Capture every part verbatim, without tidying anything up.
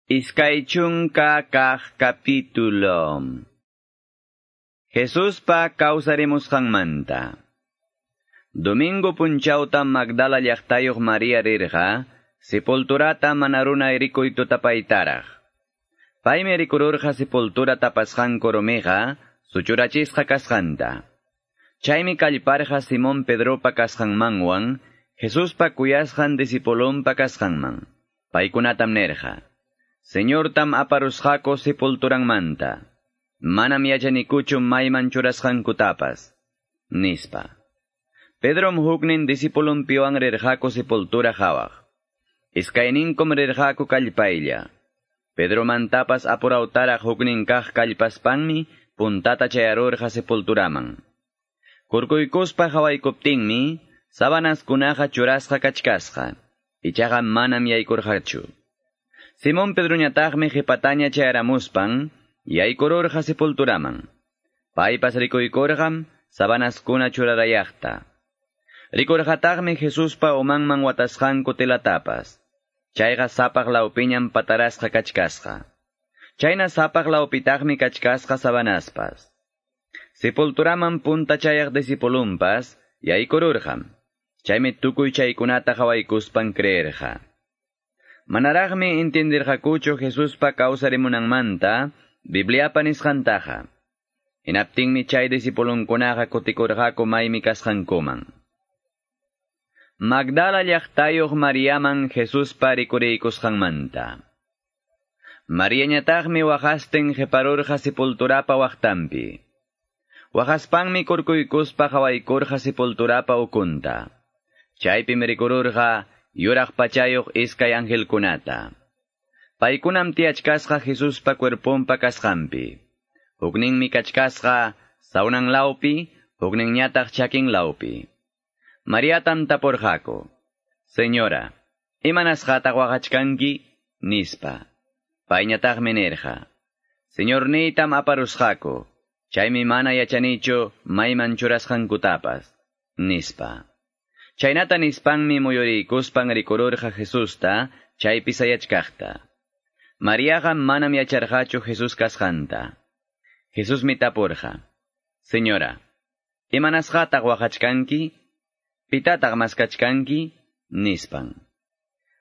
Iskay chunka kaq capítulo. Jesuspa kawsarimusqanmanta. Domingo punchawta Magdala llaqtayuq Maria rirqa, sepulturata mana runa rikuy tutapaytaraq. Paymi rikururqa sepultura tapasqanku rumiqa, suchurachisqa kasqanta. Chaymi kallparqa Simón Pedropa kasqanmanwan, Jesuspa kuyasqan discipulonpa kasqanman. Paykunatam nirqa: Señortam aparusqaku sepulturanmanta. Manam yachanikuchu mayman churasqankutapas, nispa. Pedrom huknin discipulonpiwan rirqaku sepultura qhawaq. Iskayninkum rirqaku kallpaylla. Pedromantapas apurawtaraq huknin kaq kallpaspanmi puntata chayarurqa sepulturaman. Kurkuykuspa qawaykuptinmi sabanaskunaqa churasqa kachkasqa. Ichaqa manam yaykurqachu. Simón Pedroñataqmi qhipataña chayaramuspan yaykururqa sepulturaman. Paypas rikuykurqam sabanaskuna churarayaqta. Rikurqataqmi Jesuspa umanman watasqanku telatapas. Chayqa sapaq lawpiñam patarasqa kachkasqa. Chayna sapaq lawpitaqmi kachkasqa sabanaspas. Sepulturaman punta chayaq discipulunpas yaykururqam. Chaymi tukuy chaykunata qawaykuspan creerqa. Manaraqmi entendirqakuchu Jesuspa kawsarimunanmanta Bibliapa nisqantaqa. Hinaptinmi chay discipulunkunaqa kutikurqaku maymi kasqankuman. Magdala llaqtayuq Mariaman Jesuspa rikuriykusqanmanta. Mariañataqmi waqastin qiparurqa sepulturapa waqtanpi. Waqaspanmi kurkuykuspa qawaykurqa sepulturapa ukunta. Chaypim rikururqa yuraq pachayuq iskay angelkunata. Paykunam tiyachkasqa Jesuspa cuerponpa kasqanpi. Hukninmi kachkasqa sawnan lawpi, hukninñataq chakin lawpi. Mariatam tapurqaku: Señora, imanasqataq waqachkanki? Nispa. Payñataqmi nirqa: Señorniytam aparusqaku, chaymi mana yachanichu mayman churasqankutapas, nispa. Chaynata nispanmi muyuriykuspan rikururqa Jesusta chaypi sayachkaqta. Mariaqa manam yacharqachu Jesús kasqanta. Jesusmi tapurqa: Señora, imanasqataq waqachkanki? Pitataq maskachkanki? Nispan.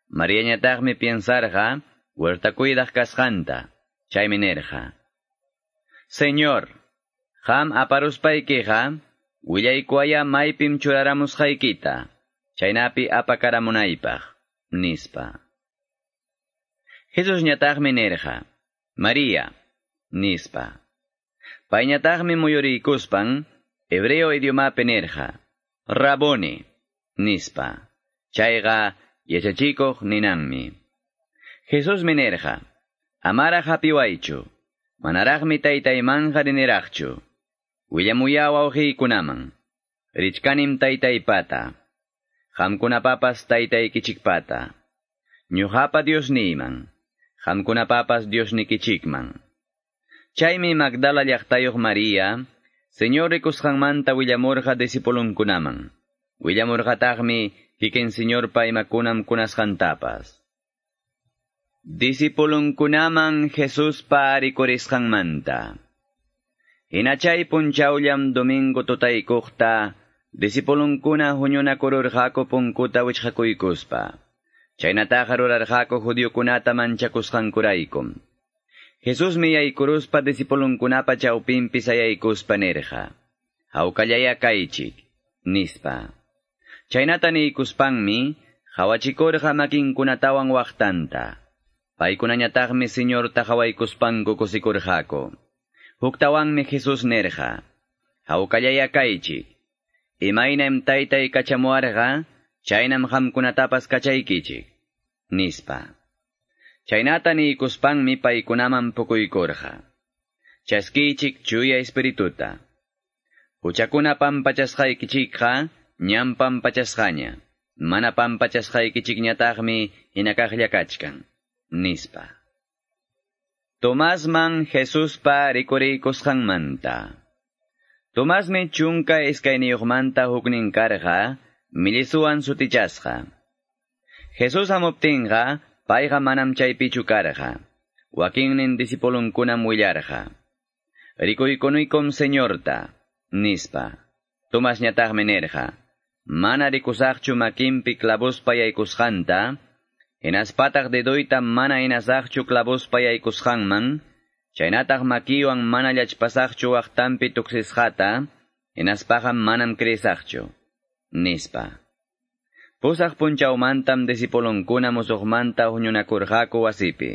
Mariañataqmi piensarqa huerta cuidaq kasqanta. Chaymi nirqa: Señor, qam aparuspaykiqa willaykuwaya maypim churaramusqaykita, chaynapi apakaramunaypaq, nispa. Jesusñataqmi nirqa: Maria, nispa. Payñataqmi muyuriykuspan hebreo idiomapi nirqa: Raboni, nispa. Chayqa yachachikuq ninanmi. Jesusmi nirqa: Amaraq hapiwaychu, manaraqmi taytaymanqa riniraqchu. Willamuya wawqiykunaman, richkanim taytaypata, qamkunapapas taytaykichikpata, ñuqapa Diosniyman, qamkunapapas Diosnikichikman. Chaymi Magdala llaqtayuq Maria, Señor rikusqanmanta willamurqa discipulunkunaman. Willamurqataqmi kikin Señorpa imakunam kunasqantapas. Discipulunkunaman Jesuspa rikurisqanmanta. Hina chay punchawllam domingo tutaykuqta, discipulunkuna huñunakururqaku punkuta wichqakuykuspa. Chaynataqa rurarqaku judiokunata manchakusqankuraykum. Jesusmi yaykuruspa discipulunkunapa chawpinpi sayaykuspa nirqa: Hawkallaya kaychik, nispa. Chaynata niykuspanmi qawachikurqa makinkunatawan waqtanta. Paykunañataqmi Señorta qawaykuspanku kusikurqaku. Huktawanmi Jesús nirqa: Hawkallaya kaychik. Imaynam taytay kachamuwarqa, chaynam qamkunatapas kachaykichik, nispa. Chaynata niykuspanmi paykunaman pukuykurqa: Chaskiychik chuya espirituta. Huchakuna pampachasqaykichikqa ñam pampachasqaña, mana pampachasqaykichikñataqmi hinakaqlla kachkan, nispa. Tomasman Jesuspa rikuriykusqanmanta. Tomasmi chunka iskayniyuqmanta huknin karqa, millisuwan sutichasqa. Jesús hamuptinqa, payqa manam chaypichu karqa. Wakinnin disipulunkunam willarqa. Rikuykunuykum Señorta, nispa. Tomasñataqmi nirqa. Mana rikusaqchu makinpi clavospa yaykusqanta, hinaspataq dedoyta mana hinasaqchu clavospa yaykusqanman, chaynataq makiwan mana llachpasaqchu waqtanpi tuksisqata, hinaspaqa manam creesaqchu, nispa. Pusaq punchawmantam disipulunkuna musuqmanta huñunakurqaku wasipi.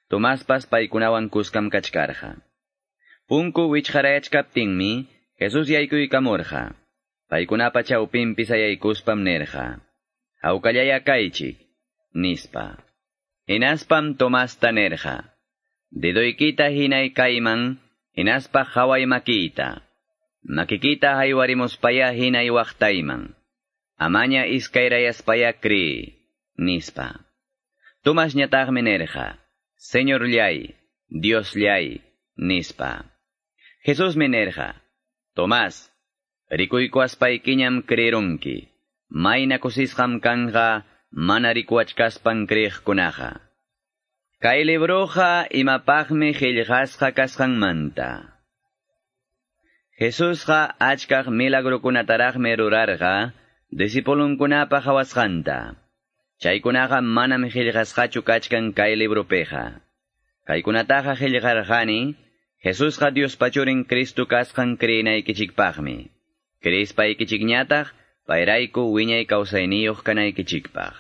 Tomaspas paykunawan kuskam kachkarqa. Punku wichqarayachkaptinmi, Jesús yaykuykamurqa. Paykunapa chawpinpi sayaykuspam nirqa. Hawkallaya kaychik, nispa. Hinaspam Tomasta nirqa. Dedoykita hinay kayman, hinaspa qhaway makiyta. Makikita haywarimuspaya hinay waqtayman. Amaña iskayrayaspaya cree, nispa. Tomasñataqmi nirqa. Señorllay, Diosllay, nispa. Jesusmi nirqa. Tomás, rikuykuwaspaykiñam creerunki. Mayna kusisqam kanqa mana rikuwachkaspan creeqkunaqa. Kay libroqa imapaqmi qillqasqa kasqanmanta. Jesusqa achkaq milagrukunataraqmi rurarqa disipulunkunapa qhawasqanta. Chaykunaqa manam qillqasqachu kachkan kay libropiqa. Kaykunataqa qillqarqani, Jesusqa Diospa Churin Cristo kasqan creenaykichikpaqmi. Creespaykichikñataq, payrayku wiñay kawsayniyuq kanaykichikpaq.